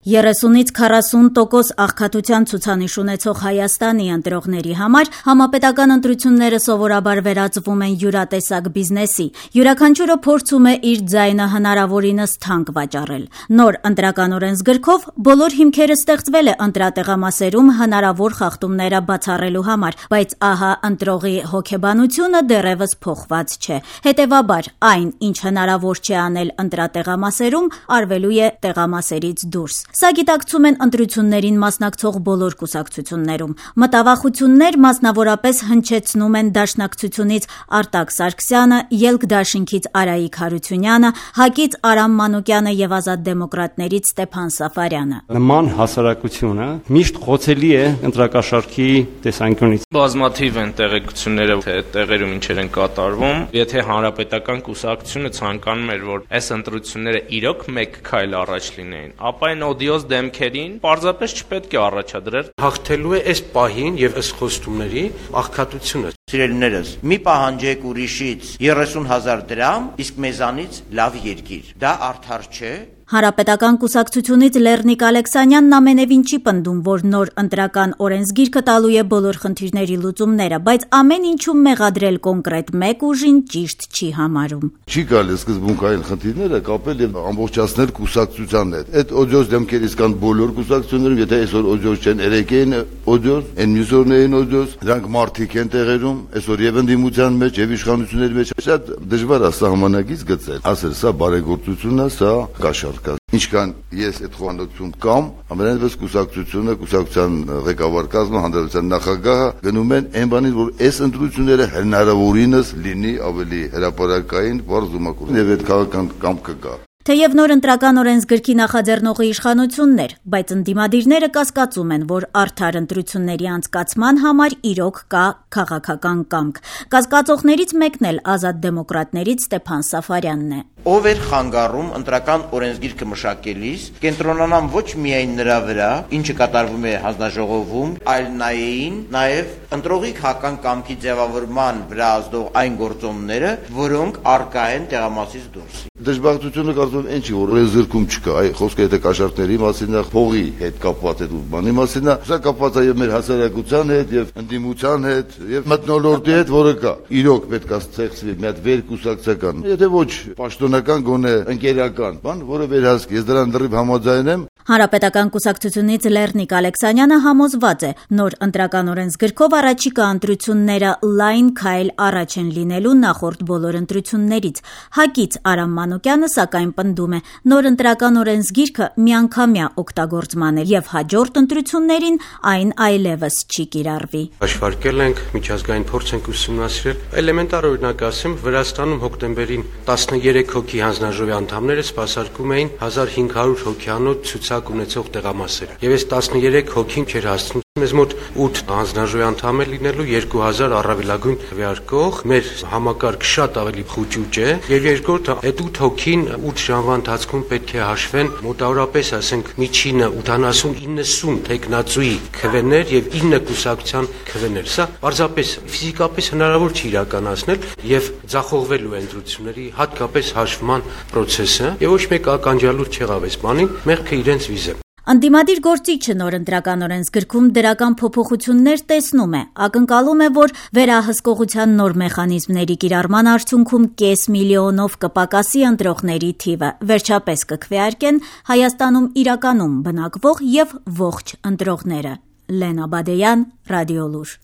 30-ից 40% աղքատության ցուցանիշ ունեցող Հայաստանի ընտրողների համար համապետական ընտրությունները սովորաբար վերածվում են յուրատեսակ բիզնեսի։ Յուրաքանչյուրը փորձում է իր ձայնը հնարավորինս թանկ վաճառել։ Նոր ընտրական օրենսգրքով բոլոր հիմքերը ստեղծվել է ընտրատեղամասերում հնարավոր խախտումները բացառելու համար, բայց ահա ընտրողի հոգեբանությունը դեռևս փոխված չէ։ Հետևաբար, այն, ինչ հնարավոր չէ անել ընտրատեղամասերում, արվելու է տեղամասերից դուրս։ Սա գիտակցում են ընտրություններին մասնակցող բոլոր կուսակցություններում։ Մտավախություններ մասնավորապես հնչեցնում են Դաշնակցությունից Արտակ Սարգսյանը, Ելք դաշինքից Արայիկ Հարությունյանը, ՀԱԿ-ից Արամ Մանուկյանը եւ Ազատ դեմոկրատներից Ստեփան Սաֆարյանը։ Նման հասարակությունը միշտ խոցելի է ընտրակաշառքի տեսանկյունից։ Բազմաթիվ են տեղեկությունները, թե տեղերում ինչեր են կատարվում։ Եթե հանրապետական կուսակցությունը ցանկանում էր, որ այս ընտրությունները իրոք մեկ քայլ առաջ լինեին, ապա այն օդիոզ դեմքերին պարզապես չպետք է առաջադրել։ Հաղթելու է այս պահին եւ ըստ խոստումների աղքատությունը։ Սիրելիներս, մի պահանջեք ուրիշից 30,000 դրամ, իսկ մեզանից լավ երկիր։ Դա արդար չէ։ Հանրապետական կուսակցությունից Լեռնիկ Ալեքսանյանն ամենևին չի պնդում, որ նոր ընտրական օրենսգիրքը տալու է բոլոր խնդիրների լուծումները, բայց ամեն ինչում մեղադրել կոնկրետ մեկ ուժին ճիշտ չի համարում։ Չի կարելի սկզբունքային խնդիրները կապել եւ ամբողջացնել կուսակցության հետ։ Այդ օդիոս դեմքերից կան բոլոր կուսակցություններում, եթե այսօր օդիոս չեն, երեքեն օդիոս, այն մյուս օրներին օդիոս, դրանք մարդիկ են տեղերում, այսօր եւ ընդդիմության մեջ եւ իշխանությունների մեջ շատ դժվար է սահմանակից գծել։ Ասել սա բարեգործությունն է, սա կաշառք։ Ինչքան ես այդ խոհանոցում կամ ամենայնպես կուսակցության ղեկավար կազմը, հանրապետության նախագահը գնում են այն բանին, որ այս ընտրությունները հնարավորինս լինի ավելի հրապարակային, բարձ ու մաքուր եւ այդ քաղաքական կամքը կա։ Թեև նոր ընտրական օրենսգրքի նախաձեռնողը իշխանությունն էր, բայց ընդդիմադիրները կասկածում են, որ արդար ընտրությունների անցկացման համար իրոք կա քաղաքական կամք։ Կասկածողներից մեկն էլ Ազատ դեմոկրատներից Ստեփան Սաֆարյանն է։ Ով էր խանգարում ընտրական օրենսգիրքը մշակելիս, կենտրոնանան ոչ միայն նրա վրա, ինչը կատարվում է հանձնաժողովում, այլ նայեին նաև ընտրողի քաղաքական կամքի ձևավորման վրա ազդող այն գործոնները, որոնք առկա են տեղամասից դուրս։ Դժբախտությունը կարծում եմ ինչի որ օրենսգրքում չկա, այ խոսքը եթե կաշառքների մասին է, փողի հետ կապված այդ բանի մասին է, սա կապված է եւ մեր հասարակության հետ եւ ընդդիմության հետ եւ մթնոլորտի հետ, որը կա։ Իրոք պետք է ստեղծվի մի հատ վերկուսակցական, եթե ոչ պաշտոնական գոնե ընկերական բան, որը վերահսկի։ Ես դրան դեռ համաձայն եմ։ Հանրապետական կուսակցությունից Լեռնիկ Ալեքսանյանը համոզված է, նոր ընտրական օրենսգրքով առաջիկա ընտրությունները լայն քայլ առաջ են լինելու նախորդ բոլոր ընտրություններից։ ՀԱԿ-ից Արամ Մանուկյանը սակայն պնդում է, նոր ընտրական օրենսգիրքը միանգամյա օգտագործման է եւ հաջորդ ընտրություններին այն այլևս չի կիրառվի։ Հաշվարկել ենք, միջազգային փորձ ենք ուսումնասիրել, էլեմենտար օրինակ ասեմ, Վրաստանում հոկտեմբերին 13 հոգի հանձնաժողովի անդամները սպասարկում էին 1500 հոգյանոց ունեցող տեղամասերը։ Եվ այս 13 հոգին չէր հասցնում մեզ մոտ 8 հանձնաժողովի անդամ է լինելու 2000 առավելագույն քվեարկող, մեր համակարգ շատ ավելի խուճուճ է, եւ երկրորդ այդ 8 հոգին 8 ժամվա ընթացքում պետք է հաշվեն մոտավորապես, ասենք, միջինը 80-90 տեխնացուի քվեներ եւ 9 կուսակցության քվեներ։ Սա պարզապես ֆիզիկապես հնարավոր չի իրականացնել եւ ձախողվելու է ընտրությունների հատկապես հաշվման process-ը եւ ոչ մեկ ականջալուր չեղավ այս բանին, մեղքը իրենց վիզը։ Ընդդիմադիր գործիչը նոր ընտրական օրենսգրքում դրական փոփոխություններ տեսնում է, ակնկալում է, որ վերահսկողության նոր մեխանիզմների կիրառման արդյունքում կես միլիոնով կպակասի ընտրողների թիվը, վերջապես կքվեարկեն Հայաստանում իրականում բնակվող եւ ողջ ընտրողները։ Լենա Բադեյան, Ռադիոլուր։